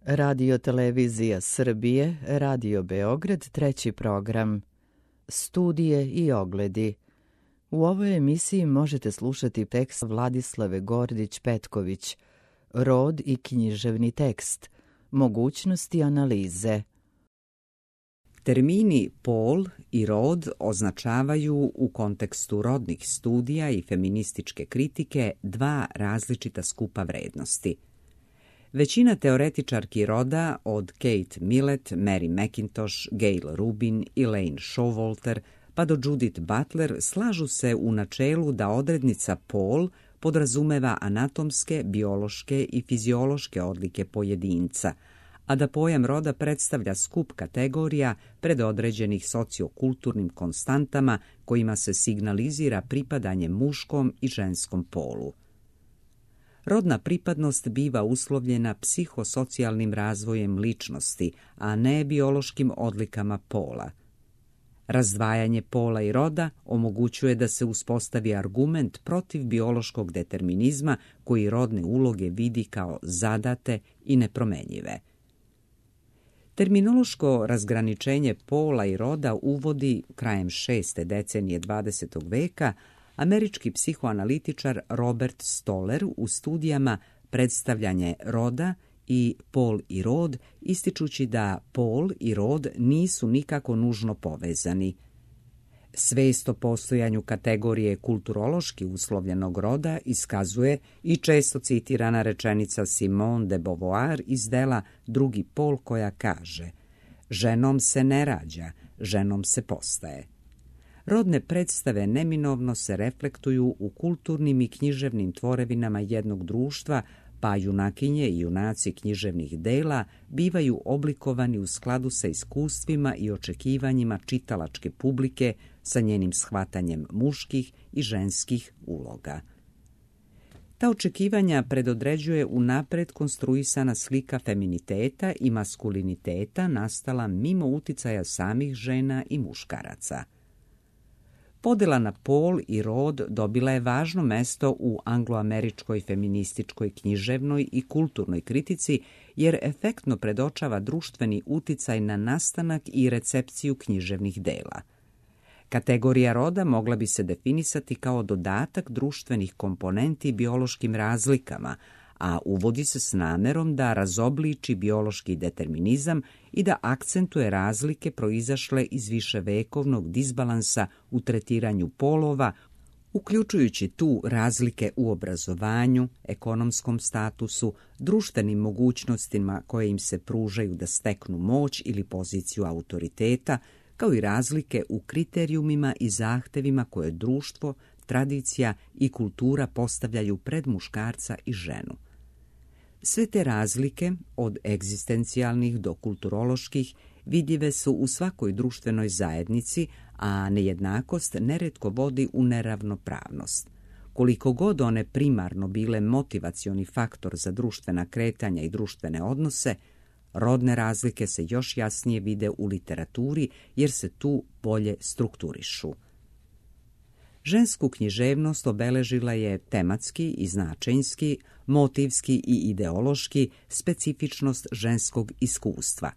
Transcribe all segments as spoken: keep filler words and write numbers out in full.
Radio Televizija Srbije, Radio Beograd, treći program. Studije i ogledi. U ovoj emisiji možete slušati tekst Vladislave Gordić-Petković, Rod i književni tekst, mogućnosti analize. Termini pol i rod označavaju u kontekstu rodnih studija i feminističke kritike dva različita skupa vrednosti. Većina teoretičarki roda, od Kate Millett, Mary McIntosh, Gail Rubin, Elaine Showalter pa do Judith Butler, slažu se u načelu da odrednica pol podrazumeva anatomske, biološke i fiziološke odlike pojedinca, a da pojam roda predstavlja skup kategorija predodređenih sociokulturnim konstantama kojima se signalizira pripadanje muškom i ženskom polu. Rodna pripadnost biva uslovljena psihosocijalnim razvojem ličnosti, a ne biološkim odlikama pola. Razdvajanje pola i roda omogućuje da se uspostavi argument protiv biološkog determinizma koji rodne uloge vidi kao zadate i nepromenjive. Terminološko razgraničenje pola i roda uvodi krajem šeste decenije dvadesetog veka američki psihoanalitičar Robert Stoller u studijama Predstavljanje roda i Pol i rod, ističući da pol i rod nisu nikako nužno povezani. Svest o postojanju kategorije kulturološki uslovljenog roda iskazuje i često citirana rečenica Simone de Beauvoir iz dela Drugi pol, koja kaže: ženom se ne rađa, ženom se postaje. Rodne predstave neminovno se reflektuju u kulturnim i književnim tvorevinama jednog društva, pa junakinje i junaci književnih dela bivaju oblikovani u skladu sa iskustvima i očekivanjima čitalačke publike, sa njenim shvatanjem muških i ženskih uloga. Ta očekivanja predodređuje unapred konstruisana slika feminiteta i maskuliniteta nastala mimo uticaja samih žena i muškaraca. Podela na pol i rod dobila je važno mesto u angloameričkoj feminističkoj književnoj i kulturnoj kritici, jer efektno predočava društveni uticaj na nastanak i recepciju književnih dela. Kategorija roda mogla bi se definisati kao dodatak društvenih komponenti biološkim razlikama, a uvodi se s namerom da razobliči biološki determinizam i da akcentuje razlike proizašle iz viševekovnog disbalansa u tretiranju polova, uključujući tu razlike u obrazovanju, ekonomskom statusu, društvenim mogućnostima koje im se pružaju da steknu moć ili poziciju autoriteta, kao i razlike u kriterijumima i zahtevima koje društvo, tradicija i kultura postavljaju pred muškarca i ženu. Sve te razlike, od egzistencijalnih do kulturoloških, vidljive su u svakoj društvenoj zajednici, a nejednakost neretko vodi u neravnopravnost. Koliko god one primarno bile motivacioni faktor za društvena kretanja i društvene odnose, rodne razlike se još jasnije vide u literaturi jer se tu bolje strukturišu. Žensku književnost obeležila je tematski i značajnski, motivski i ideološki specifičnost ženskog iskustva.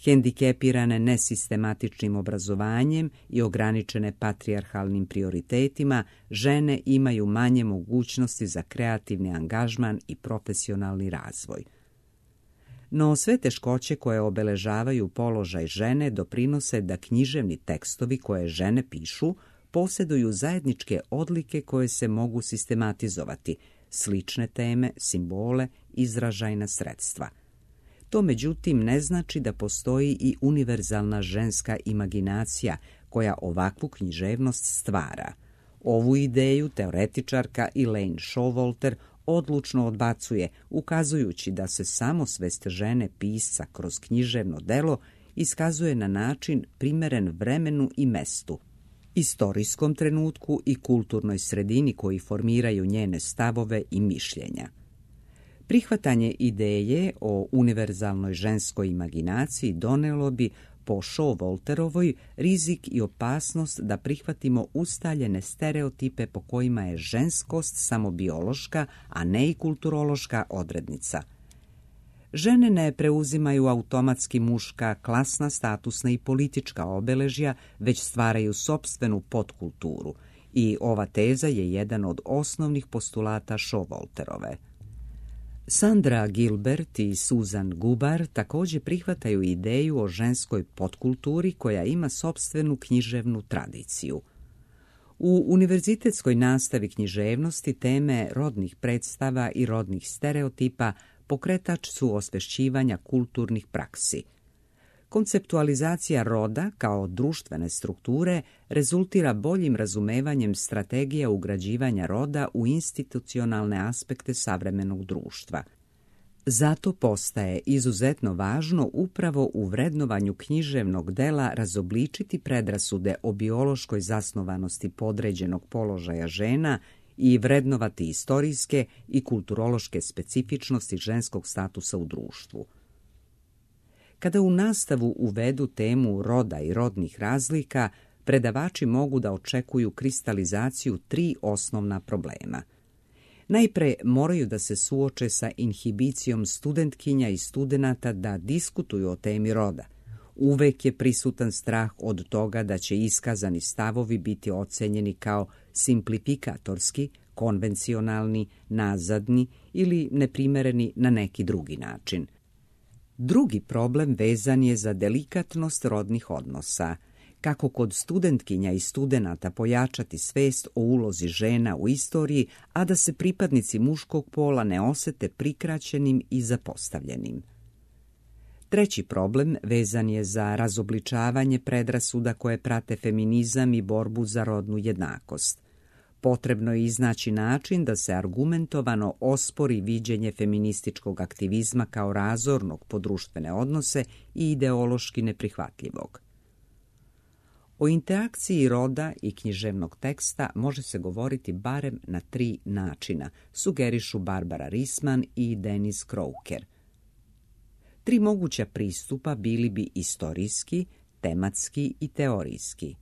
Hendikepirane nesistematičnim obrazovanjem i ograničene patrijarhalnim prioritetima, žene imaju manje mogućnosti za kreativni angažman i profesionalni razvoj. No sve teškoće koje obeležavaju položaj žene doprinose da književni tekstovi koje žene pišu posjeduju zajedničke odlike koje se mogu sistematizovati, slične teme, simbole, izražajna sredstva. To međutim ne znači da postoji i univerzalna ženska imaginacija koja ovakvu književnost stvara. Ovu ideju teoretičarka Elaine Showalter odlučno odbacuje, ukazujući da se samosvest žene pisca kroz književno delo iskazuje na način primeren vremenu i mestu, istorijskom trenutku i kulturnoj sredini koji formiraju njene stavove i mišljenja. Prihvatanje ideje o univerzalnoj ženskoj imaginaciji donelo bi po Showalterovoj rizik i opasnost da prihvatimo ustaljene stereotipe po kojima je ženskost samo biološka, a ne i kulturološka odrednica. Žene ne preuzimaju automatski muška, klasna, statusna i politička obeležja, već stvaraju sopstvenu podkulturu i ova teza je jedan od osnovnih postulata Showalterove. Sandra Gilbert i Susan Gubar također prihvataju ideju o ženskoj podkulturi koja ima sopstvenu književnu tradiciju. U univerzitetskoj nastavi književnosti teme rodnih predstava i rodnih stereotipa pokretač su osvešćivanja kulturnih praksi. Konceptualizacija roda kao društvene strukture rezultira boljim razumevanjem strategija ugrađivanja roda u institucionalne aspekte savremenog društva. Zato postaje izuzetno važno upravo u vrednovanju književnog dela razobličiti predrasude o biološkoj zasnovanosti podređenog položaja žena i vrednovati istorijske i kulturološke specifičnosti ženskog statusa u društvu. Kada u nastavu uvedu temu roda i rodnih razlika, predavači mogu da očekuju kristalizaciju tri osnovna problema. Najpre moraju da se suoče sa inhibicijom studentkinja i studenata da diskutuju o temi roda. Uvek je prisutan strah od toga da će iskazani stavovi biti ocenjeni kao simplifikatorski, konvencionalni, nazadni ili neprimereni na neki drugi način. Drugi problem vezan je za delikatnost rodnih odnosa. Kako kod studentkinja i studenata pojačati svest o ulozi žena u istoriji, a da se pripadnici muškog pola ne osete prikraćenim i zapostavljenim. Treći problem vezan je za razobličavanje predrasuda koje prate feminizam i borbu za rodnu jednakost. Potrebno je iznaći način da se argumentovano ospori viđenje feminističkog aktivizma kao razornog po društvene odnose i ideološki neprihvatljivog. O interakciji roda i književnog teksta može se govoriti barem na tri načina, sugerišu Barbara Risman i Dennis Croker. Tri moguća pristupa bili bi istorijski, tematski i teorijski.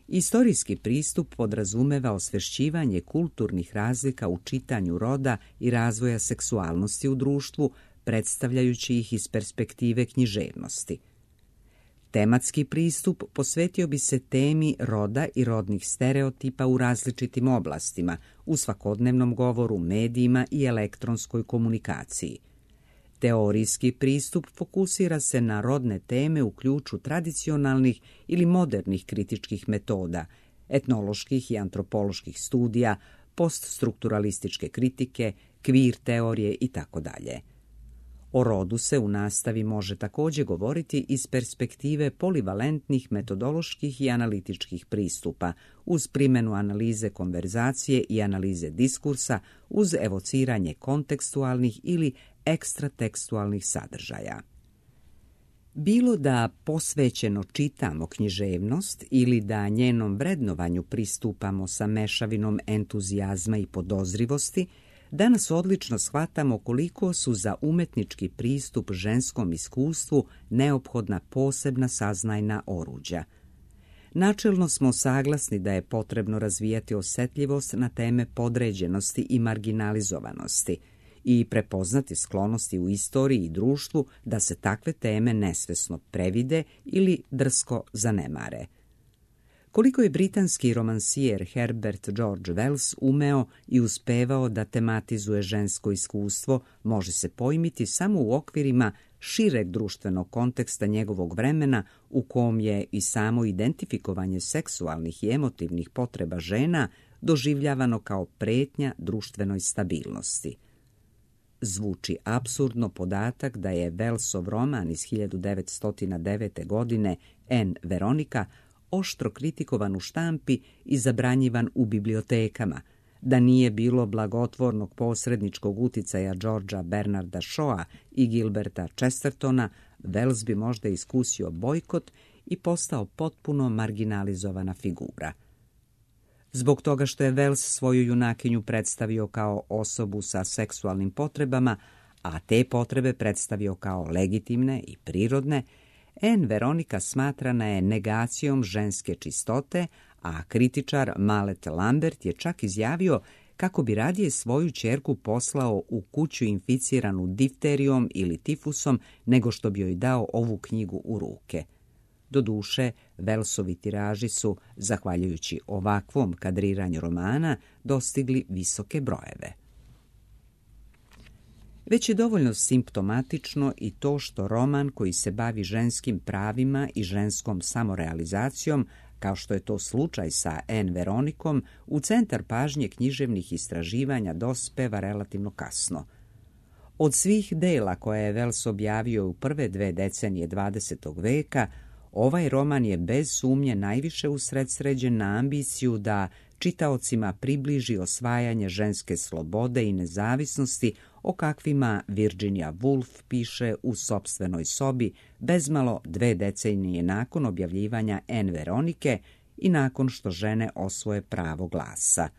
Istorijski pristup podrazumeva osvešćivanje kulturnih razlika u čitanju roda i razvoja seksualnosti u društvu, predstavljajući ih iz perspektive književnosti. Tematski pristup posvetio bi se temi roda i rodnih stereotipa u različitim oblastima, u svakodnevnom govoru, medijima i elektronskoj komunikaciji. Teorijski pristup fokusira se na rodne teme u ključu tradicionalnih ili modernih kritičkih metoda, etnoloških i antropoloških studija, poststrukturalističke kritike, kvir teorije itd. O rodu se u nastavi može također govoriti iz perspektive polivalentnih metodoloških i analitičkih pristupa, uz primjenu analize konverzacije i analize diskursa, uz evociranje kontekstualnih ili ekstratekstualnih sadržaja. Bilo da posvećeno čitamo književnost ili da njenom vrednovanju pristupamo sa mešavinom entuzijazma i podozrivosti, danas odlično shvatamo koliko su za umetnički pristup ženskom iskustvu neophodna posebna saznajna oruđa. Načelno smo saglasni da je potrebno razvijati osjetljivost na teme podređenosti i marginalizovanosti i prepoznati sklonosti u istoriji i društvu da se takve teme nesvesno previde ili drsko zanemare. Koliko je britanski romansijer Herbert George Wells umeo i uspevao da tematizuje žensko iskustvo, može se pojmiti samo u okvirima šireg društvenog konteksta njegovog vremena u kom je i samo identifikovanje seksualnih i emotivnih potreba žena doživljavano kao pretnja društvenoj stabilnosti. Zvuči apsurdno podatak da je Wellsov roman iz hiljadu devetsto devete. godine Anne Veronica oštro kritikovan u štampi i zabranjivan u bibliotekama, da nije bilo blagotvornog posredničkog uticaja Georgea Bernarda Shawa i Gilberta Chestertona, Wells bi možda iskusio bojkot i postao potpuno marginalizovana figura. Zbog toga što je Wells svoju junakinju predstavio kao osobu sa seksualnim potrebama, a te potrebe predstavio kao legitimne i prirodne, Anne Veronica smatrana je negacijom ženske čistote, a kritičar Mallet Lambert je čak izjavio kako bi radije svoju ćerku poslao u kuću inficiranu difterijom ili tifusom nego što bi joj dao ovu knjigu u ruke. Doduše, Wellsovi tiraži su, zahvaljujući ovakvom kadriranju romana, dostigli visoke brojeve. Već je dovoljno simptomatično i to što roman koji se bavi ženskim pravima i ženskom samorealizacijom, kao što je to slučaj sa Anne Veronikom, u centar pažnje književnih istraživanja dospeva relativno kasno. Od svih dela koje je Wells objavio u prve dve decenije dvadesetog veka, ovaj roman je bez sumnje najviše usredsređen na ambiciju da čitaocima približi osvajanje ženske slobode i nezavisnosti o kakvima Virginia Woolf piše u sopstvenoj sobi bezmalo dve decenije nakon objavljivanja Anne Veronike i nakon što žene osvoje pravo glasa.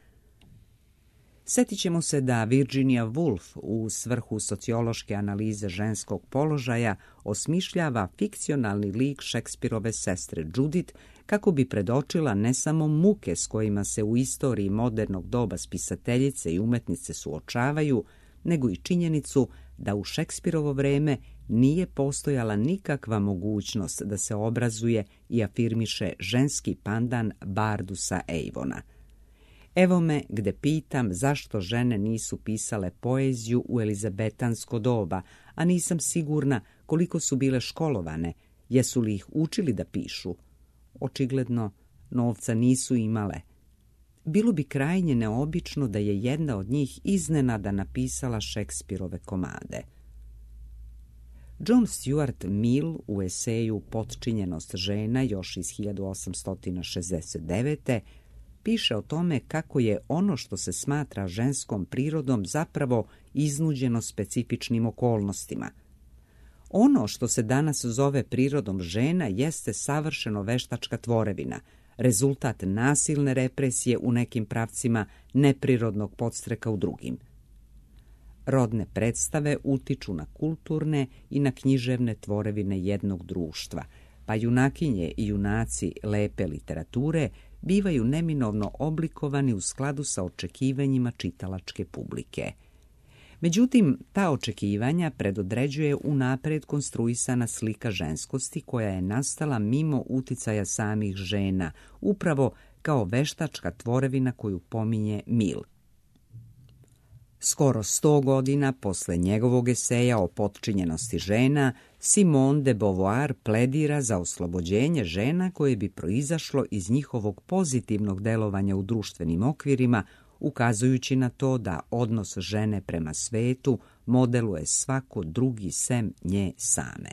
Sjetit ćemo se da Virginia Woolf u svrhu sociološke analize ženskog položaja osmišljava fikcionalni lik Šekspirove sestre Judith kako bi predočila ne samo muke s kojima se u istoriji modernog doba spisateljice i umetnice suočavaju, nego i činjenicu da u Šekspirovo vreme nije postojala nikakva mogućnost da se obrazuje i afirmiše ženski pandan Bardusa Avona. Evo me gde pitam zašto žene nisu pisale poeziju u elizabetansko doba, a nisam sigurna koliko su bile školovane, jesu li ih učili da pišu. Očigledno, novca nisu imale. Bilo bi krajnje neobično da je jedna od njih iznenada napisala Šekspirove komade. John Stuart Mill u eseju Potčinjenost žena još iz hiljadu osamsto šezdeset devete piše o tome kako je ono što se smatra ženskom prirodom zapravo iznuđeno specifičnim okolnostima. Ono što se danas zove prirodom žena jeste savršeno veštačka tvorevina, rezultat nasilne represije u nekim pravcima, neprirodnog podstreka u drugim. Rodne predstave utiču na kulturne i na književne tvorevine jednog društva, pa junakinje i junaci lepe literature bivaju neminovno oblikovani u skladu sa očekivanjima čitalačke publike. Međutim, ta očekivanja predodređuje unapred konstruisana slika ženskosti koja je nastala mimo uticaja samih žena, upravo kao veštačka tvorevina koju pominje Mill. Skoro sto godina posle njegovog eseja o potčinjenosti žena, Simone de Beauvoir pledira za oslobođenje žena koje bi proizašlo iz njihovog pozitivnog delovanja u društvenim okvirima, ukazujući na to da odnos žene prema svetu modeluje svako drugi sem nje same.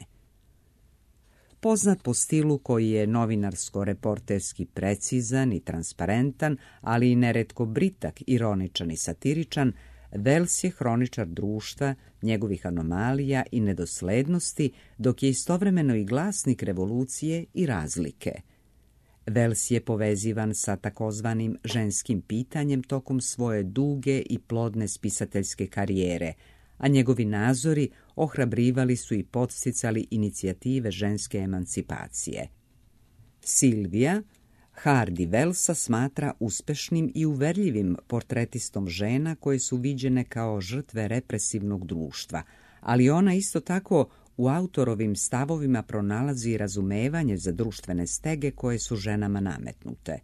Poznat po stilu koji je novinarsko-reporterski precizan i transparentan, ali i neretko britak, ironičan i satiričan, Wells je hroničar društva, njegovih anomalija i nedoslednosti, dok je istovremeno i glasnik revolucije i razlike. Wells je povezivan sa takozvanim ženskim pitanjem tokom svoje duge i plodne spisateljske karijere, a njegovi nazori ohrabrivali su i podsticali inicijative ženske emancipacije. Silvija Hardy Wellsa smatra uspešnim i uverljivim portretistom žena koje su viđene kao žrtve represivnog društva, ali ona isto tako u autorovim stavovima pronalazi razumevanje za društvene stege koje su ženama nametnute.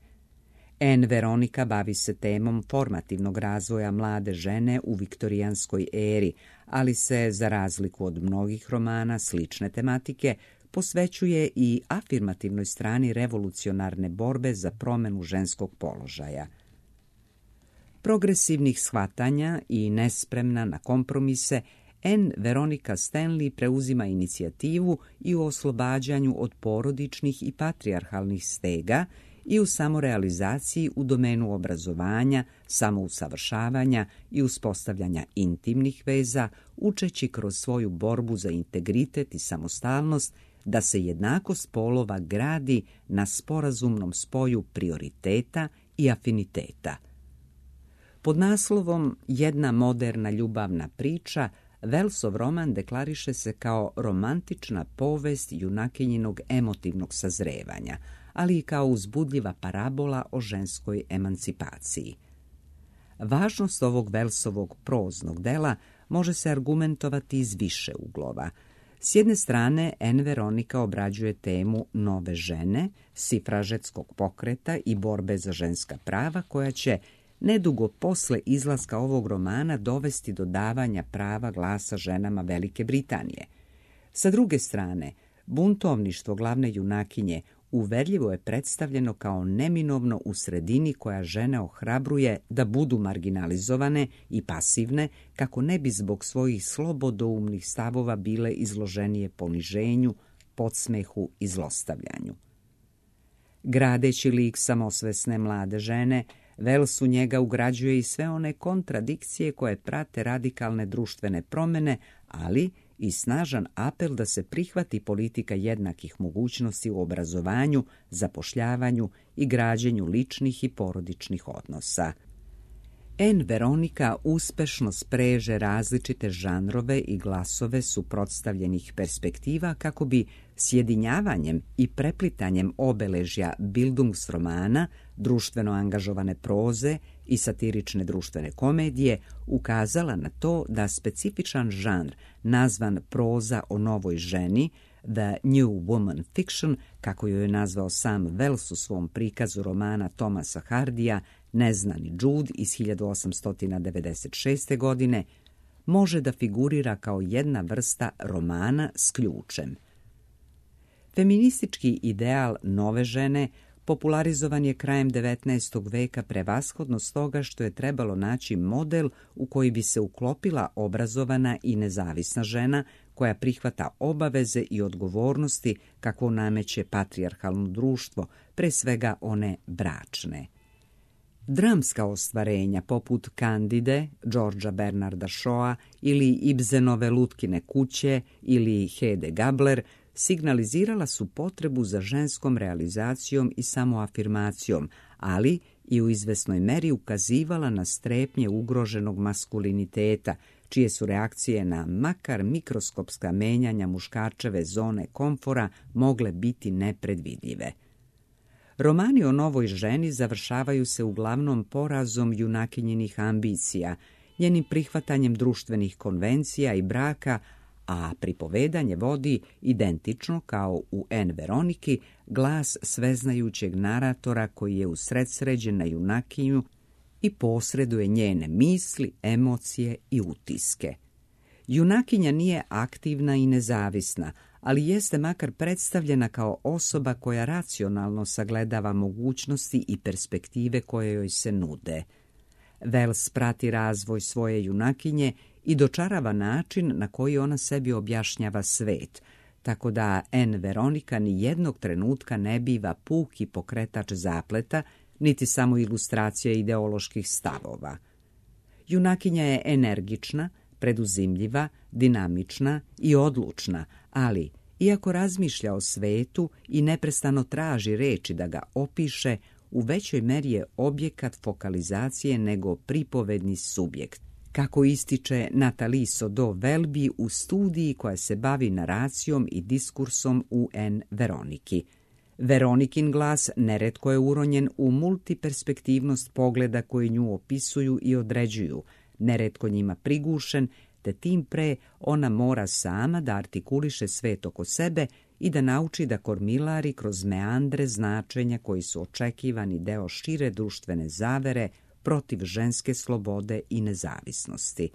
Anne Veronika bavi se temom formativnog razvoja mlade žene u viktorijanskoj eri, ali se, za razliku od mnogih romana slične tematike, posvećuje i afirmativnoj strani revolucionarne borbe za promenu ženskog položaja. Progresivnih shvatanja i nespremna na kompromise, Anne Veronika Stanley preuzima inicijativu i u oslobađanju od porodičnih i patrijarhalnih stega i u samorealizaciji u domenu obrazovanja, samousavršavanja i uspostavljanja intimnih veza, učeći kroz svoju borbu za integritet i samostalnost da se jednakost polova gradi na sporazumnom spoju prioriteta i afiniteta. Pod naslovom Jedna moderna ljubavna priča, Wellsov roman deklariše se kao romantična povest junakinjinog emotivnog sazrevanja, ali i kao uzbudljiva parabola o ženskoj emancipaciji. Važnost ovog Wellsovog proznog dela može se argumentovati iz više uglova. S jedne strane, Anne Veronica obrađuje temu nove žene, sifražetskog pokreta i borbe za ženska prava, koja će nedugo posle izlaska ovog romana dovesti do davanja prava glasa ženama Velike Britanije. Sa druge strane, buntovništvo glavne junakinje uverljivo je predstavljeno kao neminovno u sredini koja žene ohrabruje da budu marginalizovane i pasivne kako ne bi zbog svojih slobodoumnih stavova bile izloženije poniženju, podsmehu i zlostavljanju. Gradeći lik samosvesne mlade žene, Wells u njega ugrađuje i sve one kontradikcije koje prate radikalne društvene promjene, ali i snažan apel da se prihvati politika jednakih mogućnosti u obrazovanju, zapošljavanju i građenju ličnih i porodičnih odnosa. Anne Veronica uspešno spreže različite žanrove i glasove suprotstavljenih perspektiva kako bi sjedinjavanjem i preplitanjem obeležja Bildungsromana, društveno angažovane proze i satirične društvene komedije ukazala na to da specifičan žanr nazvan proza o novoj ženi, The New Woman Fiction, kako ju je nazvao sam Wells u svom prikazu romana Thomasa Hardija Neznani Jude iz hiljadu osamsto devedeset šeste. godine, može da figurira kao jedna vrsta romana s ključem. Feministički ideal nove žene popularizovan je krajem devetnaestog veka prevashodno stoga što je trebalo naći model u koji bi se uklopila obrazovana i nezavisna žena koja prihvata obaveze i odgovornosti kakvo nameće patrijarhalno društvo, pre svega one bračne. Dramska ostvarenja poput Candide, Georgea Bernarda Shawa ili Ibsenove Lutkine kuće ili Hede Gabler signalizirala su potrebu za ženskom realizacijom i samoafirmacijom, ali i u izvesnoj meri ukazivala na strepnje ugroženog maskuliniteta, čije su reakcije na makar mikroskopska menjanja muškarčeve zone komfora mogle biti nepredvidljive. Romani o novoj ženi završavaju se uglavnom porazom junakinjinih ambicija, njenim prihvatanjem društvenih konvencija i braka, a pripovedanje vodi identično kao u Anne Veroniki glas sveznajućeg naratora koji je usredsređen na junakinju i posreduje njene misli, emocije i utiske. Junakinja nije aktivna i nezavisna, ali jeste makar predstavljena kao osoba koja racionalno sagledava mogućnosti i perspektive koje joj se nude. Wells prati razvoj svoje junakinje i dočarava način na koji ona sebi objašnjava svet, tako da Anne Veronica ni jednog trenutka ne biva puki pokretač zapleta, niti samo ilustracija ideoloških stavova. Junakinja je energična, preduzimljiva, dinamična i odlučna, ali, iako razmišlja o svetu i neprestano traži reči da ga opiše, u većoj meri je objekat fokalizacije nego pripovedni subjekt, kako ističe Nathalie Sodo-Welby u studiji koja se bavi naracijom i diskursom u Anne Veroniki. Veronikin glas neretko je uronjen u multiperspektivnost pogleda koji nju opisuju i određuju, neretko njima prigušen, te tim pre ona mora sama da artikuliše svet oko sebe i da nauči da kormilari kroz meandre značenja koji su očekivani deo šire društvene zavere protiv ženske slobode i nezavisnosti.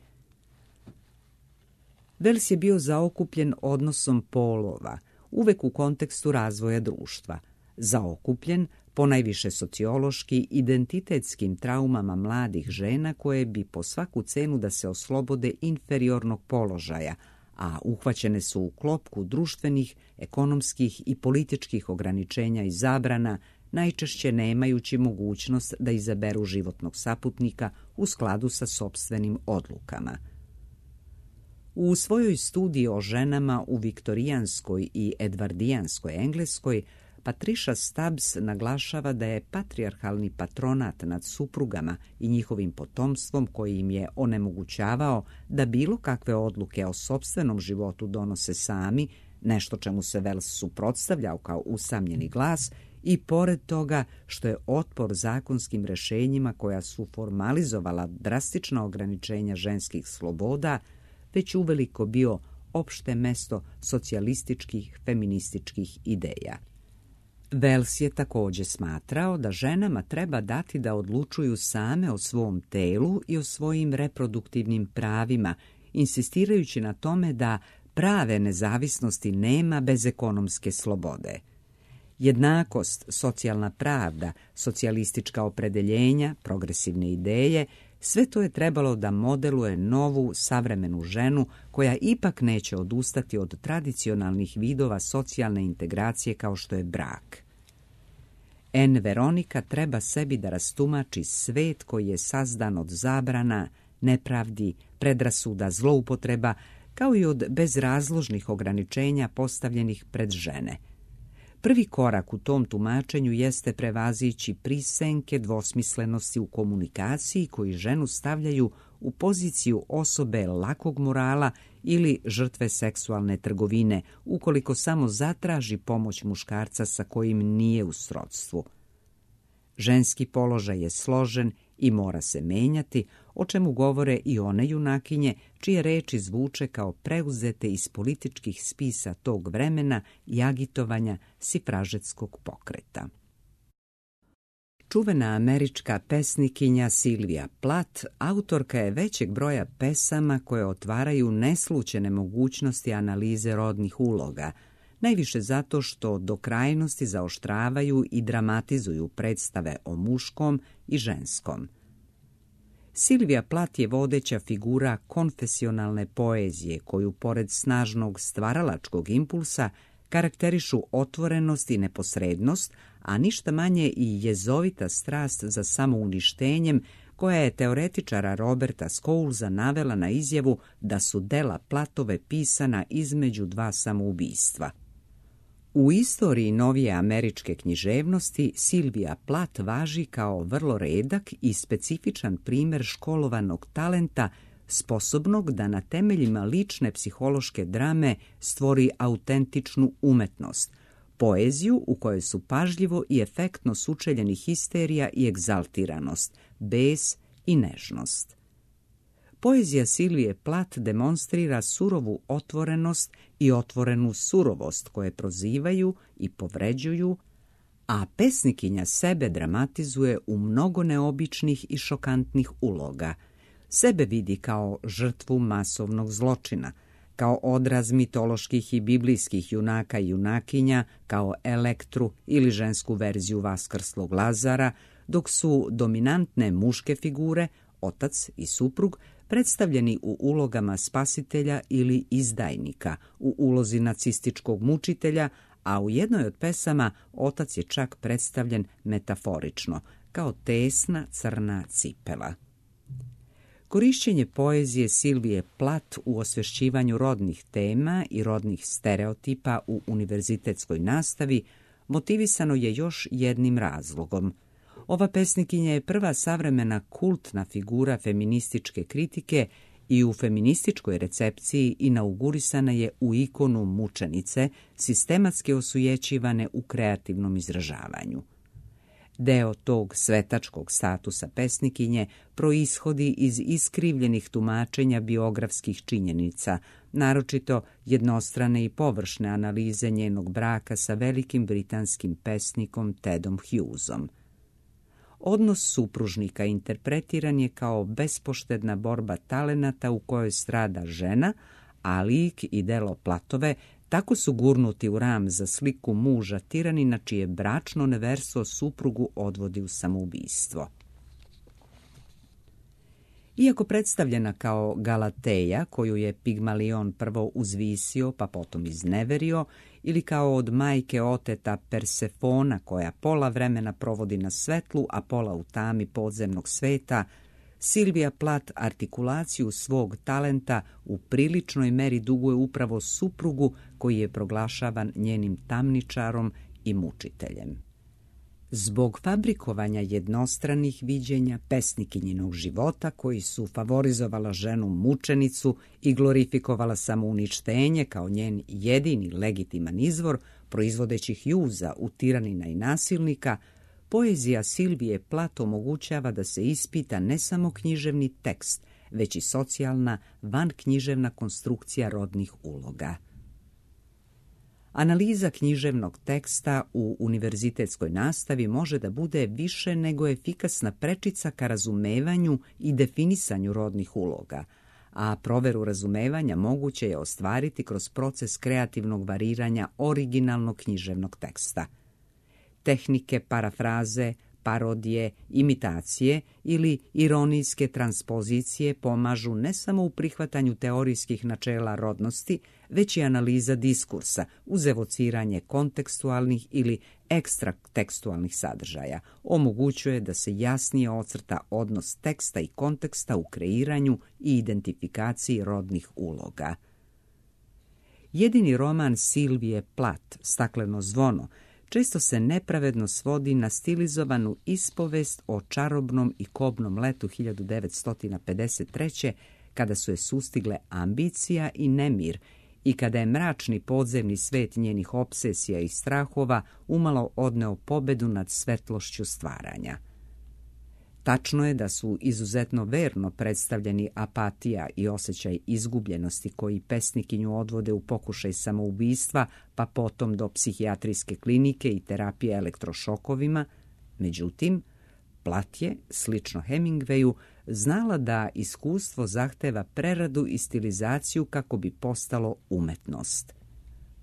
Wells je bio zaokupljen odnosom polova, uvek u kontekstu razvoja društva, zaokupljen ponajviše sociološki identitetskim traumama mladih žena koje bi po svaku cenu da se oslobode inferiornog položaja, a uhvaćene su u klopku društvenih, ekonomskih i političkih ograničenja i zabrana, najčešće nemajući mogućnost da izaberu životnog saputnika u skladu sa sopstvenim odlukama. U svojoj studiji o ženama u viktorijanskoj i edvardijanskoj Engleskoj, Patricia Stubbs naglašava da je patrijarhalni patronat nad suprugama i njihovim potomstvom koji im je onemogućavao da bilo kakve odluke o sopstvenom životu donose sami, nešto čemu se Wells suprotstavljao kao usamljeni glas, i pored toga što je otpor zakonskim rješenjima koja su formalizovala drastična ograničenja ženskih sloboda već uveliko bio opšte mesto socijalističkih feminističkih ideja. Wells je također smatrao da ženama treba dati da odlučuju same o svom telu i o svojim reproduktivnim pravima, insistirajući na tome da prave nezavisnosti nema bez ekonomske slobode. Jednakost, socijalna pravda, socijalistička opredeljenja, progresivne ideje, sve to je trebalo da modeluje novu, savremenu ženu koja ipak neće odustati od tradicionalnih vidova socijalne integracije kao što je brak. Anne Veronica treba sebi da rastumači svet koji je sazdan od zabrana, nepravdi, predrasuda, zloupotreba, kao i od bezrazložnih ograničenja postavljenih pred žene. Prvi korak u tom tumačenju jeste prevazići prisenke dvosmislenosti u komunikaciji koji ženu stavljaju u poziciju osobe lakog morala ili žrtve seksualne trgovine, ukoliko samo zatraži pomoć muškarca sa kojim nije u srodstvu. Ženski položaj je složen i mora se menjati, o čemu govore i one junakinje čije reči zvuče kao preuzete iz političkih spisa tog vremena i agitovanja sifražetskog pokreta. Čuvena američka pesnikinja Sylvia Plath autorka je većeg broja pesama koje otvaraju neslućene mogućnosti analize rodnih uloga, najviše zato što do krajnosti zaoštravaju i dramatizuju predstave o muškom i ženskom. Sylvia Plath je vodeća figura konfesionalne poezije koju, pored snažnog stvaralačkog impulsa, karakterišu otvorenost i neposrednost, a ništa manje i jezovita strast za samouništenjem, koja je teoretičara Roberta Scowlesa navela na izjavu da su dela Plathove pisana između dva samoubistva. U istoriji novije američke književnosti Sylvia Plath važi kao vrlo redak i specifičan primjer školovanog talenta, sposobnog da na temeljima lične psihološke drame stvori autentičnu umetnost, poeziju u kojoj su pažljivo i efektno sučeljeni histerija i egzaltiranost, bes i nežnost. Poezija Sylvie Plath demonstrira surovu otvorenost i otvorenu surovost koje prozivaju i povređuju, a pesnikinja sebe dramatizuje u mnogo neobičnih i šokantnih uloga. Sebe vidi kao žrtvu masovnog zločina, kao odraz mitoloških i biblijskih junaka i junakinja, kao Elektru ili žensku verziju vaskrslog Lazara, dok su dominantne muške figure, otac i suprug, predstavljeni u ulogama spasitelja ili izdajnika, u ulozi nacističkog mučitelja, a u jednoj od pesama otac je čak predstavljen metaforično, kao tesna crna cipela. Korišćenje poezije Sylvie Plath u osvješćivanju rodnih tema i rodnih stereotipa u univerzitetskoj nastavi motivisano je još jednim razlogom. Ova pesnikinja je prva savremena kultna figura feminističke kritike i u feminističkoj recepciji inaugurisana je u ikonu mučenice, sistematski osujećivane u kreativnom izražavanju. Deo tog svetačkog statusa pesnikinje proishodi iz iskrivljenih tumačenja biografskih činjenica, naročito jednostrane i površne analize njenog braka sa velikim britanskim pesnikom Tedom Hughesom. Odnos supružnika interpretiran je kao bespoštedna borba talenata u kojoj strada žena, a lik i delo Plathove tako su gurnuti u ram za sliku muža tiranina čije bračno neverstvo suprugu odvodi u samoubistvo. Iako predstavljena kao Galateja, koju je Pigmalion prvo uzvisio pa potom izneverio, ili kao od majke oteta Persefona koja pola vremena provodi na svetlu, a pola u tami podzemnog sveta, Sylvia Plath artikulaciju svog talenta u priličnoj meri duguje upravo suprugu koji je proglašavan njenim tamničarom i mučiteljem. Zbog fabrikovanja jednostranih viđenja pesnikinjinog života koji su favorizovala ženu mučenicu i glorifikovala samouništenje kao njen jedini legitiman izvor, proizvodeći Hjuza u tiranina i nasilnika, poezija Silvije Plath omogućava da se ispita ne samo književni tekst, već i socijalna, vanknjiževna konstrukcija rodnih uloga. Analiza književnog teksta u univerzitetskoj nastavi može da bude više nego efikasna prečica ka razumevanju i definisanju rodnih uloga, a proveru razumevanja moguće je ostvariti kroz proces kreativnog variranja originalnog književnog teksta. Tehnike parafraze, parodije, imitacije ili ironijske transpozicije pomažu ne samo u prihvatanju teorijskih načela rodnosti, već i analiza diskursa uz evociranje kontekstualnih ili ekstratekstualnih sadržaja. Omogućuje da se jasnije ocrta odnos teksta i konteksta u kreiranju i identifikaciji rodnih uloga. Jedini roman Silvije Plath, Stakleno zvono, često se nepravedno svodi na stilizovanu ispovest o čarobnom i kobnom letu hiljadu devetsto pedeset treće. kada su je sustigle ambicija i nemir i kada je mračni podzemni svet njenih opsesija i strahova umalo odneo pobedu nad svetlošću stvaranja. Tačno je da su izuzetno verno predstavljeni apatija i osjećaj izgubljenosti koji pesnikinju odvode u pokušaj samoubistva, pa potom do psihijatrijske klinike i terapije elektrošokovima. Međutim, Plath je, slično Hemingwayu, znala da iskustvo zahteva preradu i stilizaciju kako bi postalo umetnost.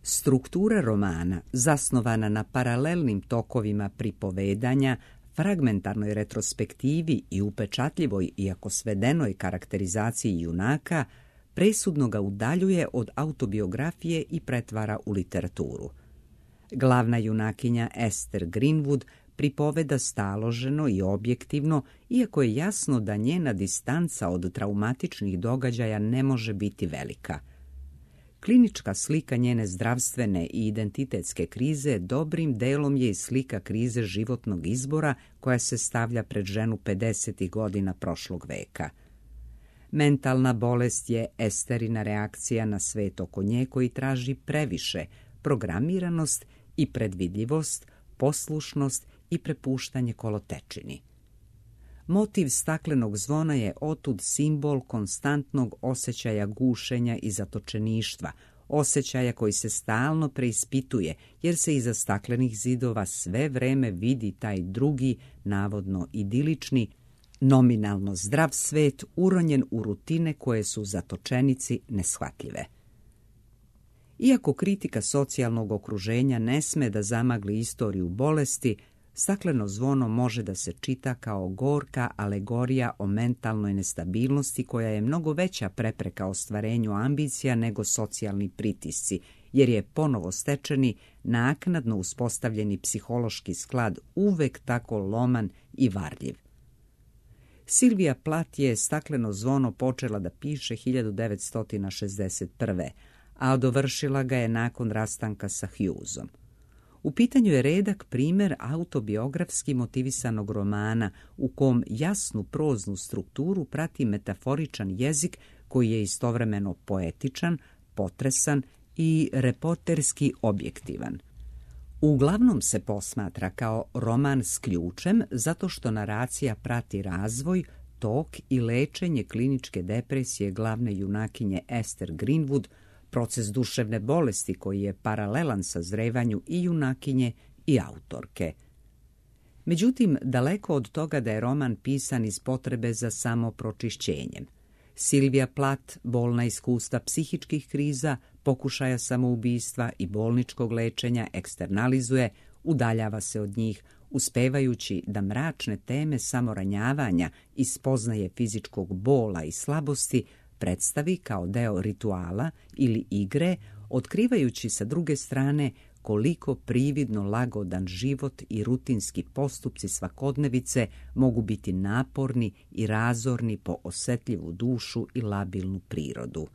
Struktura romana, zasnovana na paralelnim tokovima pripovedanja, fragmentarnoj retrospektivi i upečatljivoj, iako svedenoj karakterizaciji junaka, presudno ga udaljuje od autobiografije i pretvara u literaturu. Glavna junakinja Esther Greenwood pripoveda staloženo i objektivno, iako je jasno da njena distanca od traumatičnih događaja ne može biti velika. Klinička slika njene zdravstvene i identitetske krize dobrim delom je i slika krize životnog izbora koja se stavlja pred ženu pedesetih godina prošlog veka. Mentalna bolest je Esterina reakcija na svet oko nje koji traži previše, programiranost i predvidljivost, poslušnost i prepuštanje kolotečini. Motiv staklenog zvona je otud simbol konstantnog osjećaja gušenja i zatočeništva, osjećaja koji se stalno preispituje, jer se iza staklenih zidova sve vreme vidi taj drugi, navodno idilični, nominalno zdrav svet uronjen u rutine koje su zatočenici neshvatljive. Iako kritika socijalnog okruženja ne sme da zamagli istoriju bolesti, Stakleno zvono može da se čita kao gorka alegorija o mentalnoj nestabilnosti koja je mnogo veća prepreka ostvarenju ambicija nego socijalni pritisci, jer je ponovo stečeni, naknadno uspostavljeni psihološki sklad uvek tako loman i varljiv. Silvija Plath je Stakleno zvono počela da piše hiljadu devetsto šezdeset prve. a dovršila ga je nakon rastanka sa Hughesom. U pitanju je redak primer autobiografski motivisanog romana u kom jasnu proznu strukturu prati metaforičan jezik koji je istovremeno poetičan, potresan i reporterski objektivan. Uglavnom se posmatra kao roman s ključem zato što naracija prati razvoj, tok i lečenje kliničke depresije glavne junakinje Esther Greenwood, proces duševne bolesti koji je paralelan sazrevanju i junakinje i autorke. Međutim, daleko od toga da je roman pisan iz potrebe za samopročišćenjem. Silvija Plath bolna iskustva psihičkih kriza, pokušaja samoubistva i bolničkog lečenja eksternalizuje, udaljava se od njih, uspevajući da mračne teme samoranjavanja i spoznaje fizičkog bola i slabosti predstavi kao deo rituala ili igre, otkrivajući sa druge strane koliko prividno lagodan život i rutinski postupci svakodnevice mogu biti naporni i razorni po osetljivu dušu i labilnu prirodu.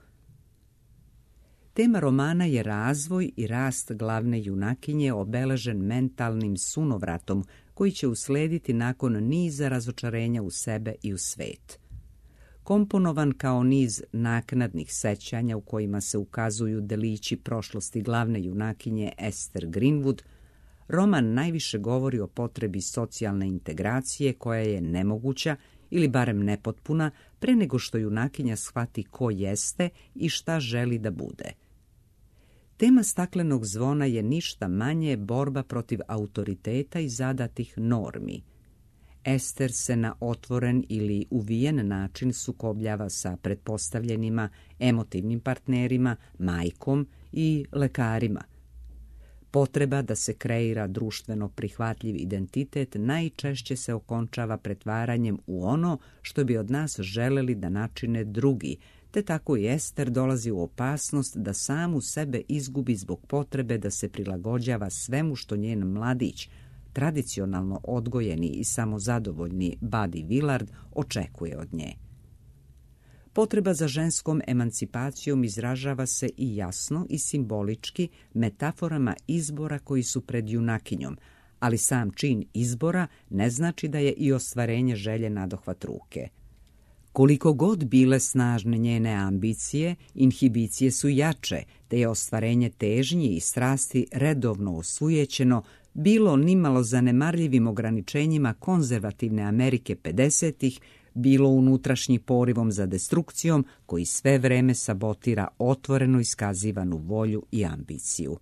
Tema romana je razvoj i rast glavne junakinje obeležen mentalnim sunovratom koji će uslediti nakon niza razočarenja u sebe i u svet. Komponovan kao niz naknadnih sećanja u kojima se ukazuju delići prošlosti glavne junakinje Esther Greenwood, roman najviše govori o potrebi socijalne integracije koja je nemoguća ili barem nepotpuna pre nego što junakinja shvati ko jeste i šta želi da bude. Tema Staklenog zvona je ništa manje borba protiv autoriteta i zadatih normi. Ester se na otvoren ili uvijen način sukobljava sa pretpostavljenima, emotivnim partnerima, majkom i lekarima. Potreba da se kreira društveno prihvatljiv identitet najčešće se okončava pretvaranjem u ono što bi od nas želeli da načine drugi, te tako i Ester dolazi u opasnost da samu sebe izgubi zbog potrebe da se prilagođava svemu što njen mladić, tradicionalno odgojeni i samozadovoljni Buddy Willard, očekuje od nje. Potreba za ženskom emancipacijom izražava se i jasno i simbolički metaforama izbora koji su pred junakinjom, ali sam čin izbora ne znači da je i ostvarenje želje nadohvat ruke. Koliko god bile snažne njene ambicije, inhibicije su jače, te je ostvarenje težnji i strasti redovno osujećeno, bilo nimalo zanemarljivim ograničenjima konzervativne Amerike pedesetih, bilo unutrašnjim porivom za destrukcijom koji sve vreme sabotira otvoreno iskazivanu volju i ambiciju.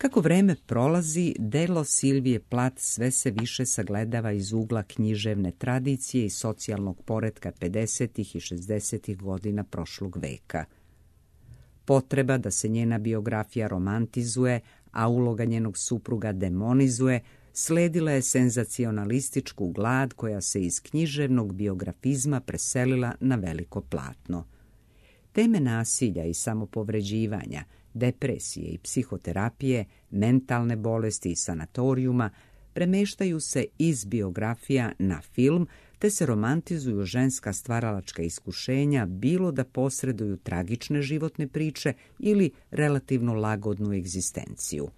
Kako vreme prolazi, delo Silvije Plath sve se više sagledava iz ugla književne tradicije i socijalnog poretka pedesetih i šezdesetih godina prošlog veka. Potreba da se njena biografija romantizuje, a uloga njenog supruga demonizuje, sledila je senzacionalističku glad koja se iz književnog biografizma preselila na veliko platno. Teme nasilja i samopovređivanja, depresije i psihoterapije, mentalne bolesti i sanatorijuma premeštaju se iz biografija na film, te se romantizuju ženska stvaralačka iskušenja, bilo da posreduju tragične životne priče ili relativno lagodnu egzistenciju.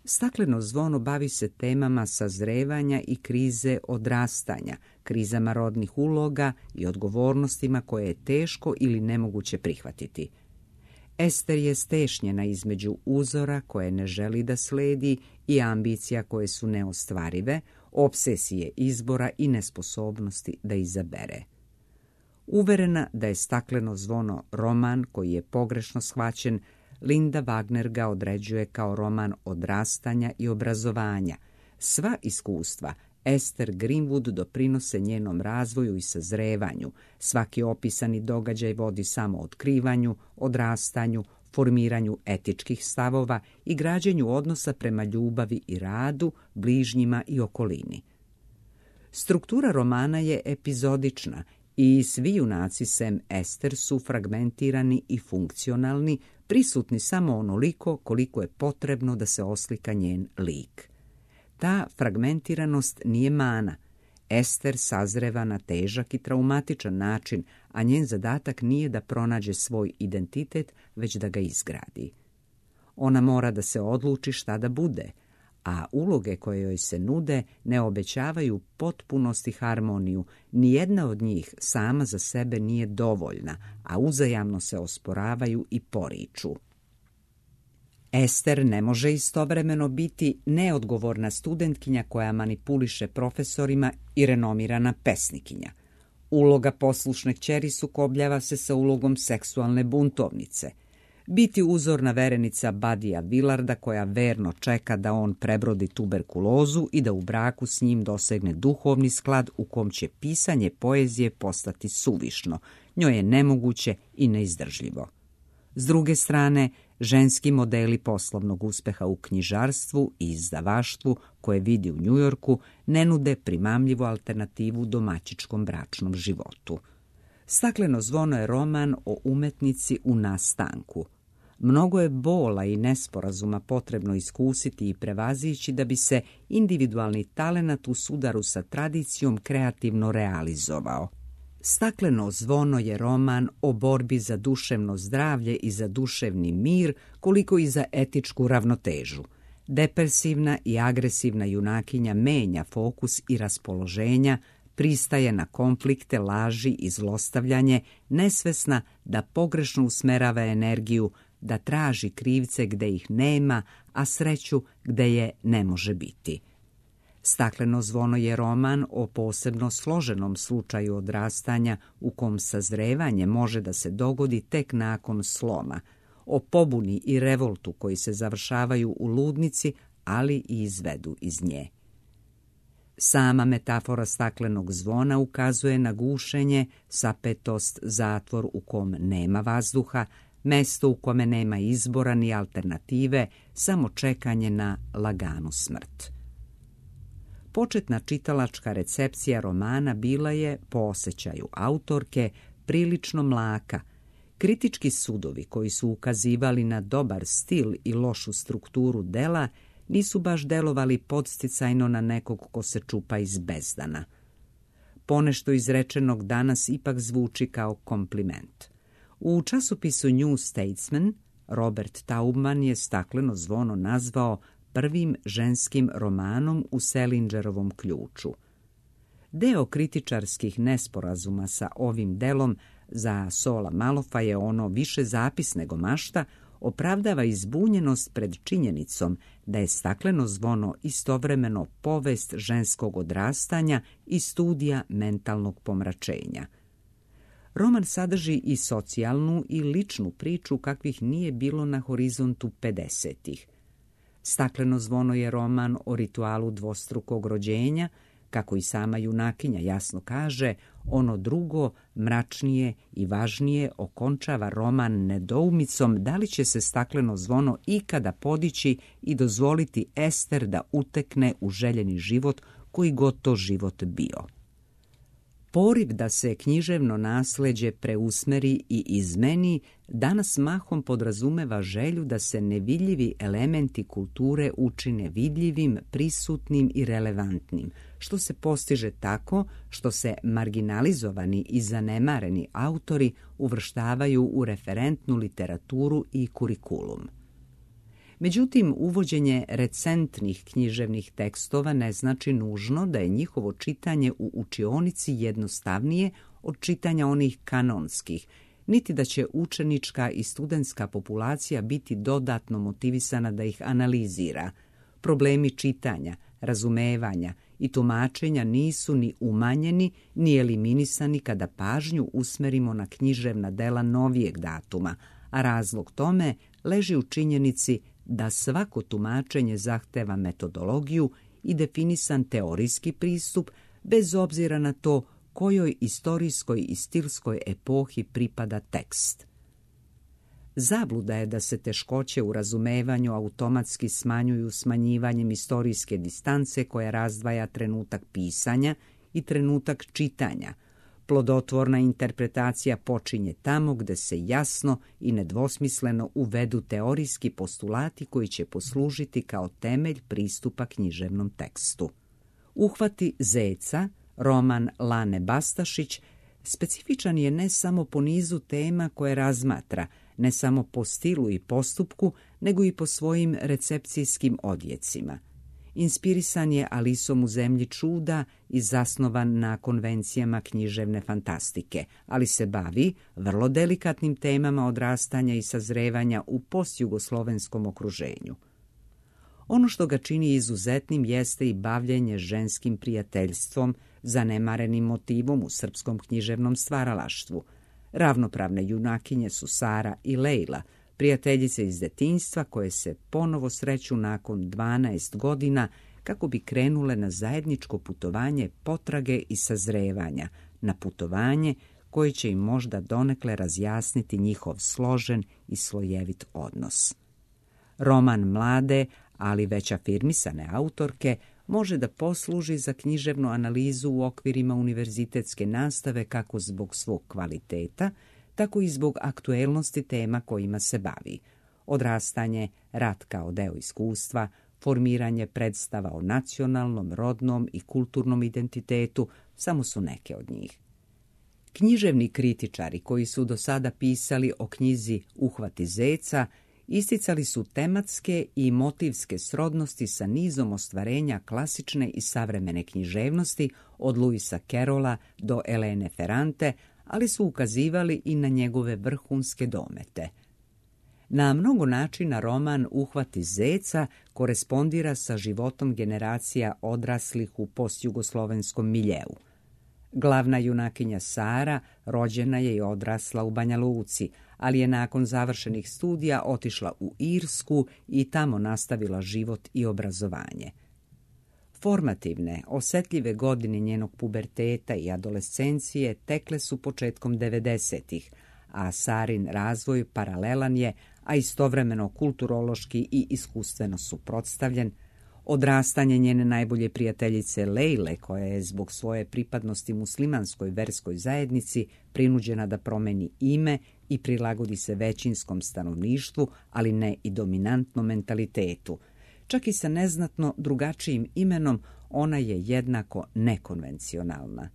Stakleno zvono bavi se temama sazrevanja i krize odrastanja, krizama rodnih uloga i odgovornostima koje je teško ili nemoguće prihvatiti. Ester je stešnjena između uzora koje ne želi da sledi i ambicija koje su neostvarive, opsesije izbora i nesposobnosti da izabere. Uverena da je Stakleno zvono roman koji je pogrešno shvaćen, Linda Wagner ga određuje kao roman odrastanja i obrazovanja. Sva iskustva Esther Greenwood doprinose njenom razvoju i sazrevanju. Svaki opisani događaj vodi samo otkrivanju, odrastanju, formiranju etičkih stavova i građenju odnosa prema ljubavi i radu, bližnjima i okolini. Struktura romana je epizodična i svi junaci sem Ester su fragmentirani i funkcionalni, prisutni samo onoliko koliko je potrebno da se oslika njen lik. Ta fragmentiranost nije mana. Ester sazreva na težak i traumatičan način, a njen zadatak nije da pronađe svoj identitet, već da ga izgradi. Ona mora da se odluči šta da bude, a uloge koje joj se nude ne obećavaju potpunost i harmoniju. Nijedna od njih sama za sebe nije dovoljna, a uzajamno se osporavaju i poriču. Ester ne može istovremeno biti neodgovorna studentkinja koja manipuliše profesorima i renomirana pesnikinja. Uloga poslušne kćeri sukobljava se sa ulogom seksualne buntovnice. Biti uzorna verenica Buddyja Willarda koja verno čeka da on prebrodi tuberkulozu i da u braku s njim dosegne duhovni sklad u kom će pisanje poezije postati suvišno, njoj je nemoguće i neizdržljivo. S druge strane, ženski modeli poslovnog uspeha u knjižarstvu i izdavaštvu koje vidi u Njujorku ne nude primamljivu alternativu domaćičkom bračnom životu. Stakleno zvono je roman o umetnici u nastanku. Mnogo je bola i nesporazuma potrebno iskusiti i prevazići da bi se individualni talenat u sudaru sa tradicijom kreativno realizovao. Stakleno zvono je roman o borbi za duševno zdravlje i za duševni mir, koliko i za etičku ravnotežu. Depresivna i agresivna junakinja menja fokus i raspoloženja, pristaje na konflikte, laži i zlostavljanje, nesvesna da pogrešno usmerava energiju, da traži krivce gde ih nema, a sreću gde je ne može biti. Stakleno zvono je roman o posebno složenom slučaju odrastanja u kom sazrevanje može da se dogodi tek nakon sloma, o pobuni i revoltu koji se završavaju u ludnici, ali i izvedu iz nje. Sama metafora staklenog zvona ukazuje na gušenje, sapetost, zatvor u kom nema vazduha, mesto u kome nema izbora ni alternative, samo čekanje na laganu smrt. Početna čitalačka recepcija romana bila je, po osjećaju autorke, prilično mlaka. Kritički sudovi koji su ukazivali na dobar stil i lošu strukturu dela nisu baš delovali podsticajno na nekog ko se čupa iz bezdana. Ponešto izrečenog danas ipak zvuči kao kompliment. U časopisu New Statesman Robert Taubman je Stakleno zvono nazvao prvim ženskim romanom u Selingerovom ključu. Deo kritičarskih nesporazuma sa ovim delom za Sola Malofa je ono više zapis nego mašta, opravdava izbunjenost pred činjenicom da je Stakleno zvono istovremeno povest ženskog odrastanja i studija mentalnog pomračenja. Roman sadrži i socijalnu i ličnu priču kakvih nije bilo na horizontu pedesetih. Stakleno zvono je roman o ritualu dvostrukog rođenja, kako i sama junakinja jasno kaže, ono drugo, mračnije i važnije okončava roman nedoumicom da li će se Stakleno zvono ikada podići i dozvoliti Ester da utekne u željeni život koji god to život bio. Poriv da se književno nasleđe preusmeri i izmeni danas mahom podrazumeva želju da se nevidljivi elementi kulture učine vidljivim, prisutnim i relevantnim, što se postiže tako što se marginalizovani i zanemareni autori uvrštavaju u referentnu literaturu i kurikulum. Međutim, uvođenje recentnih književnih tekstova ne znači nužno da je njihovo čitanje u učionici jednostavnije od čitanja onih kanonskih, niti da će učenička i studentska populacija biti dodatno motivisana da ih analizira. Problemi čitanja, razumevanja i tumačenja nisu ni umanjeni ni eliminisani kada pažnju usmerimo na književna dela novijeg datuma, a razlog tome leži u činjenici da svako tumačenje zahteva metodologiju i definisan teorijski pristup, bez obzira na to kojoj istorijskoj i stilskoj epohi pripada tekst. Zabluda je da se teškoće u razumevanju automatski smanjuju smanjivanjem istorijske distance koja razdvaja trenutak pisanja i trenutak čitanja. Plodotvorna interpretacija počinje tamo gde se jasno i nedvosmisleno uvedu teorijski postulati koji će poslužiti kao temelj pristupa književnom tekstu. Uhvati zeca, roman Lane Bastašić, specifičan je ne samo po nizu tema koje razmatra, ne samo po stilu i postupku, nego i po svojim recepcijskim odjecima. Inspirisan je Alisom u zemlji čuda i zasnovan na konvencijama književne fantastike, ali se bavi vrlo delikatnim temama odrastanja i sazrevanja u postjugoslovenskom okruženju. Ono što ga čini izuzetnim jeste i bavljenje ženskim prijateljstvom, zanemarenim motivom u srpskom književnom stvaralaštvu. Ravnopravne junakinje su Sara i Lejla, prijateljice iz detinjstva koje se ponovo sreću nakon dvanaest godina kako bi krenule na zajedničko putovanje potrage i sazrevanja, na putovanje koje će im možda donekle razjasniti njihov složen i slojevit odnos. Roman mlade, ali već afirmisane autorke može da posluži za književnu analizu u okvirima univerzitetske nastave kako zbog svog kvaliteta, tako i zbog aktuelnosti tema kojima se bavi. Odrastanje, rat kao deo iskustva, formiranje predstava o nacionalnom, rodnom i kulturnom identitetu samo su neke od njih. Književni kritičari koji su do sada pisali o knjizi Uhvati zeca isticali su tematske i motivske srodnosti sa nizom ostvarenja klasične i savremene književnosti od Luisa Carrolla do Elene Ferrante, ali su ukazivali i na njegove vrhunske domete. Na mnogo načina roman Uhvati zeca korespondira sa životom generacija odraslih u postjugoslovenskom miljeu. Glavna junakinja Sara rođena je i odrasla u Banja Luci, ali je nakon završenih studija otišla u Irsku i tamo nastavila život i obrazovanje. Formativne, osetljive godine njenog puberteta i adolescencije tekle su početkom devedesetih, a Sarin razvoj paralelan je, a istovremeno kulturološki i iskustveno suprotstavljen. Odrastanje njene najbolje prijateljice Lejle, koja je zbog svoje pripadnosti muslimanskoj verskoj zajednici prinuđena da promeni ime i prilagodi se većinskom stanovništvu, ali ne i dominantnom mentalitetu. Čak i sa neznatno drugačijim imenom, ona je jednako nekonvencionalna.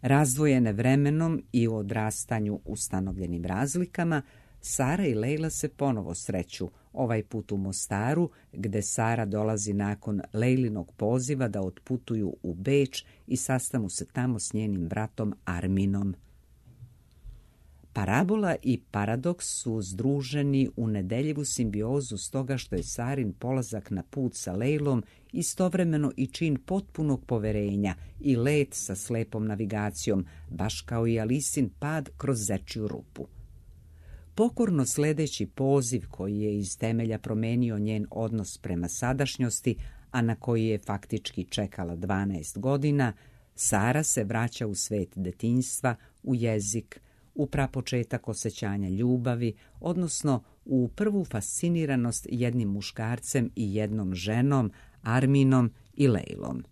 Razdvojene vremenom i u odrastanju ustanovljenim razlikama, Sara i Lejla se ponovo sreću, ovaj put u Mostaru, gde Sara dolazi nakon Lejlinog poziva da otputuju u Beč i sastanu se tamo s njenim bratom Arminom. Parabola i paradoks su združeni u nedeljivu simbiozu stoga što je Sarin polazak na put sa Lejlom istovremeno i čin potpunog poverenja i let sa slepom navigacijom, baš kao i Alisin pad kroz zečju rupu. Pokorno sledeći poziv koji je iz temelja promenio njen odnos prema sadašnjosti, a na koji je faktički čekala dvanaest godina, Sara se vraća u svet detinjstva, u jezik, u prapočetak osjećanja ljubavi, odnosno u prvu fasciniranost jednim muškarcem i jednom ženom, Arminom i Lejlom.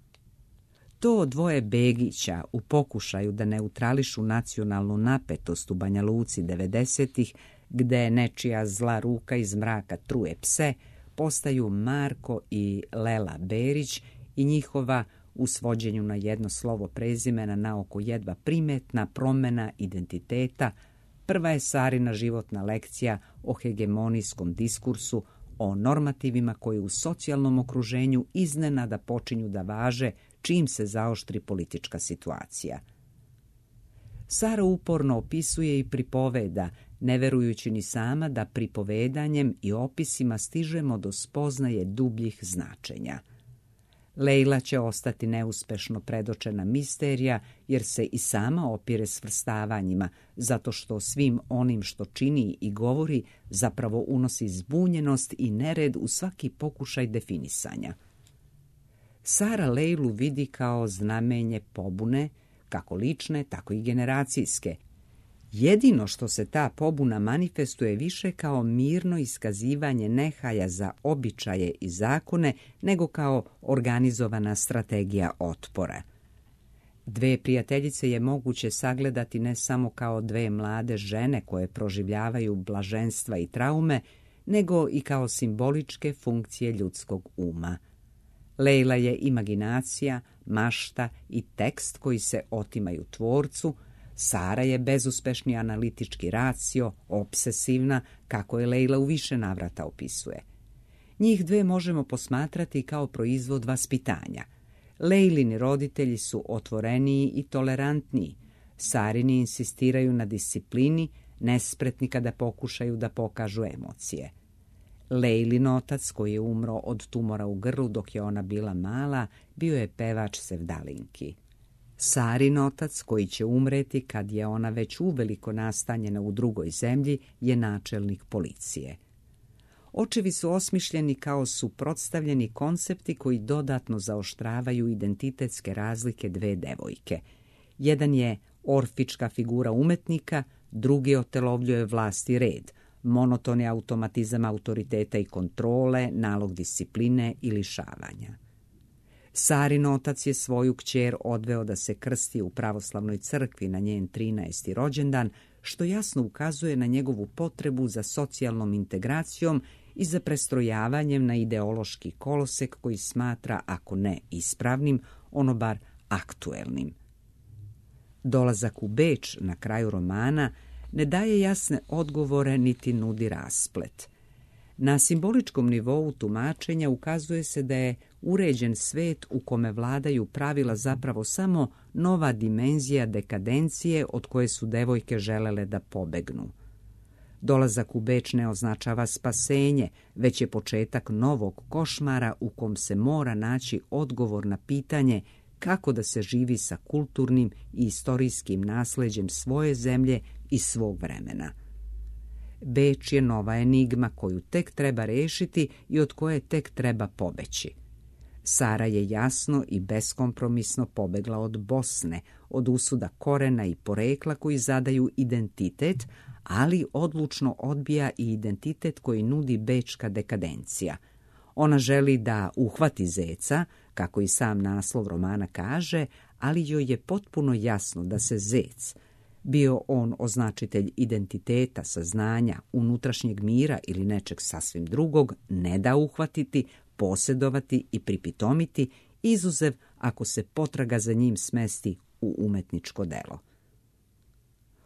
To dvoje Begića u pokušaju da neutrališu nacionalnu napetost u Banja Luci devedesetih, gde nečija zla ruka iz mraka truje pse, postaju Marko i Lela Berić i njihova, u svođenju na jedno slovo prezimena, naoko jedva primetna promena identiteta, prva je Sarina životna lekcija o hegemonijskom diskursu, o normativima koji u socijalnom okruženju iznenada počinju da važe čim se zaoštri politička situacija. Sara uporno opisuje i pripoveda, ne verujući ni sama da pripovedanjem i opisima stižemo do spoznaje dubljih značenja. Lejla će ostati neuspešno predočena misterija, jer se i sama opire svrstavanjima, zato što svim onim što čini i govori zapravo unosi zbunjenost i nered u svaki pokušaj definisanja. Sara Lejlu vidi kao znamenje pobune, kako lične, tako i generacijske. Jedino što se ta pobuna manifestuje više kao mirno iskazivanje nehaja za običaje i zakone, nego kao organizovana strategija otpora. Dve prijateljice je moguće sagledati ne samo kao dve mlade žene koje proživljavaju blaženstva i traume, nego i kao simboličke funkcije ljudskog uma. Lejla je imaginacija, mašta i tekst koji se otimaju tvorcu, Sara je bezuspešni analitički racio, obsesivna, kako je Lejla u više navrata opisuje. Njih dve možemo posmatrati kao proizvod vaspitanja. Lejlini roditelji su otvoreniji i tolerantniji, Sarini insistiraju na disciplini, nespretni kada pokušaju da pokažu emocije. Lejlin otac, koji je umro od tumora u grlu dok je ona bila mala, bio je pevač sevdalinki. Sarin otac, koji će umreti kad je ona već uveliko nastanjena u drugoj zemlji, je načelnik policije. Očevi su osmišljeni kao suprotstavljeni koncepti koji dodatno zaoštravaju identitetske razlike dve devojke. Jedan je orfička figura umetnika, drugi otelovljuje vlast i red, monoton je automatizam autoriteta i kontrole, nalog discipline i lišavanja. Sarin otac je svoju kćer odveo da se krsti u pravoslavnoj crkvi na njen trinaesti rođendan, što jasno ukazuje na njegovu potrebu za socijalnom integracijom i za prestrojavanjem na ideološki kolosek koji smatra, ako ne ispravnim, ono bar aktuelnim. Dolazak u Beč na kraju romana ne daje jasne odgovore niti nudi rasplet. Na simboličkom nivou tumačenja ukazuje se da je uređen svet u kome vladaju pravila zapravo samo nova dimenzija dekadencije od koje su devojke želele da pobegnu. Dolazak u Beč ne označava spasenje, već je početak novog košmara u kom se mora naći odgovor na pitanje kako da se živi sa kulturnim i istorijskim nasleđem svoje zemlje i svog vremena. Beč je nova enigma koju tek treba rešiti i od koje tek treba pobeći. Sara je jasno i beskompromisno pobegla od Bosne, od usuda korena i porekla koji zadaju identitet, ali odlučno odbija i identitet koji nudi bečka dekadencija. Ona želi da uhvati zeca, kako i sam naslov romana kaže, ali joj je potpuno jasno da se zec, bio on označitelj identiteta, saznanja, unutrašnjeg mira ili nečeg sasvim drugog, ne da uhvatiti, posjedovati i pripitomiti, izuzev ako se potraga za njim smesti u umetničko delo.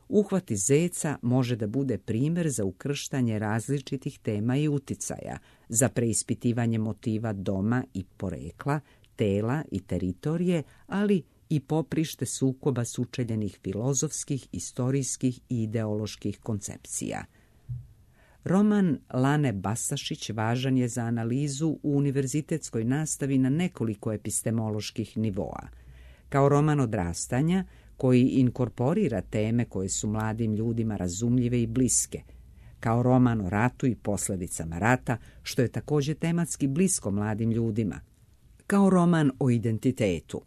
Uhvati zeca može da bude primjer za ukrštanje različitih tema i uticaja, za preispitivanje motiva doma i porekla, tela i teritorije, ali i poprište sukoba sučeljenih filozofskih, istorijskih i ideoloških koncepcija. Roman Lane Bastašić važan je za analizu u univerzitetskoj nastavi na nekoliko epistemoloških nivoa. Kao roman odrastanja, koji inkorporira teme koje su mladim ljudima razumljive i bliske, kao roman o ratu i posljedicama rata, što je također tematski blisko mladim ljudima, kao roman o identitetu,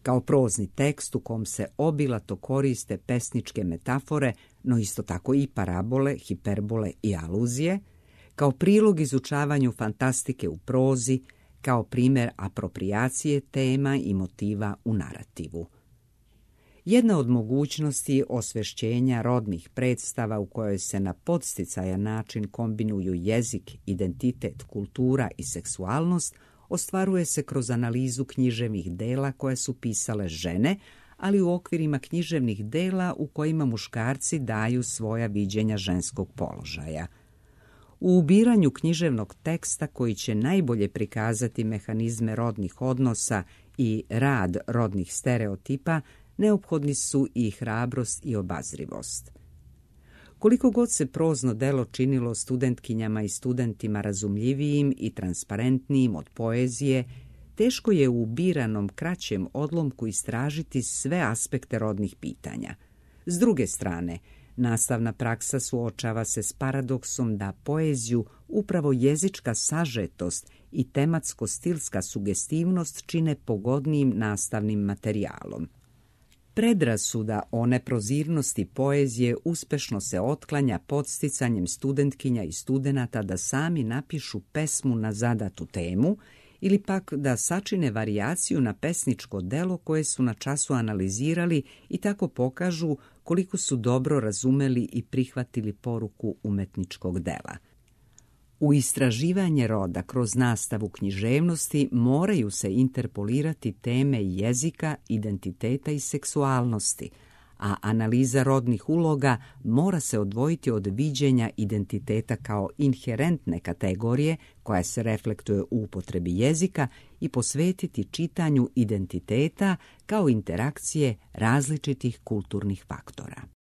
kao prozni tekst u kom se obilato koriste pesničke metafore, no isto tako i parabole, hiperbole i aluzije, kao prilog izučavanju fantastike u prozi, kao primjer aproprijacije tema i motiva u narativu. Jedna od mogućnosti osvešćenja rodnih predstava u kojoj se na podsticajan način kombinuju jezik, identitet, kultura i seksualnost ostvaruje se kroz analizu književnih dela koje su pisale žene, ali u okvirima književnih dela u kojima muškarci daju svoja viđenja ženskog položaja. U ubiranju književnog teksta koji će najbolje prikazati mehanizme rodnih odnosa i rad rodnih stereotipa, neophodni su i hrabrost i obazrivost. Koliko god se prozno delo činilo studentkinjama i studentima razumljivijim i transparentnijim od poezije, teško je u ubiranom kraćem odlomku istražiti sve aspekte rodnih pitanja. S druge strane, nastavna praksa suočava se s paradoksom da poeziju upravo jezička sažetost i tematsko-stilska sugestivnost čine pogodnijim nastavnim materijalom. Predrasuda o neprozirnosti poezije uspešno se otklanja podsticanjem studentkinja i studenata da sami napišu pesmu na zadatu temu ili pak da sačine varijaciju na pesničko delo koje su na času analizirali i tako pokažu koliko su dobro razumeli i prihvatili poruku umetničkog dela. U istraživanje roda kroz nastavu književnosti moraju se interpolirati teme jezika, identiteta i seksualnosti, a analiza rodnih uloga mora se odvojiti od viđenja identiteta kao inherentne kategorije koja se reflektuje u upotrebi jezika i posvetiti čitanju identiteta kao interakcije različitih kulturnih faktora.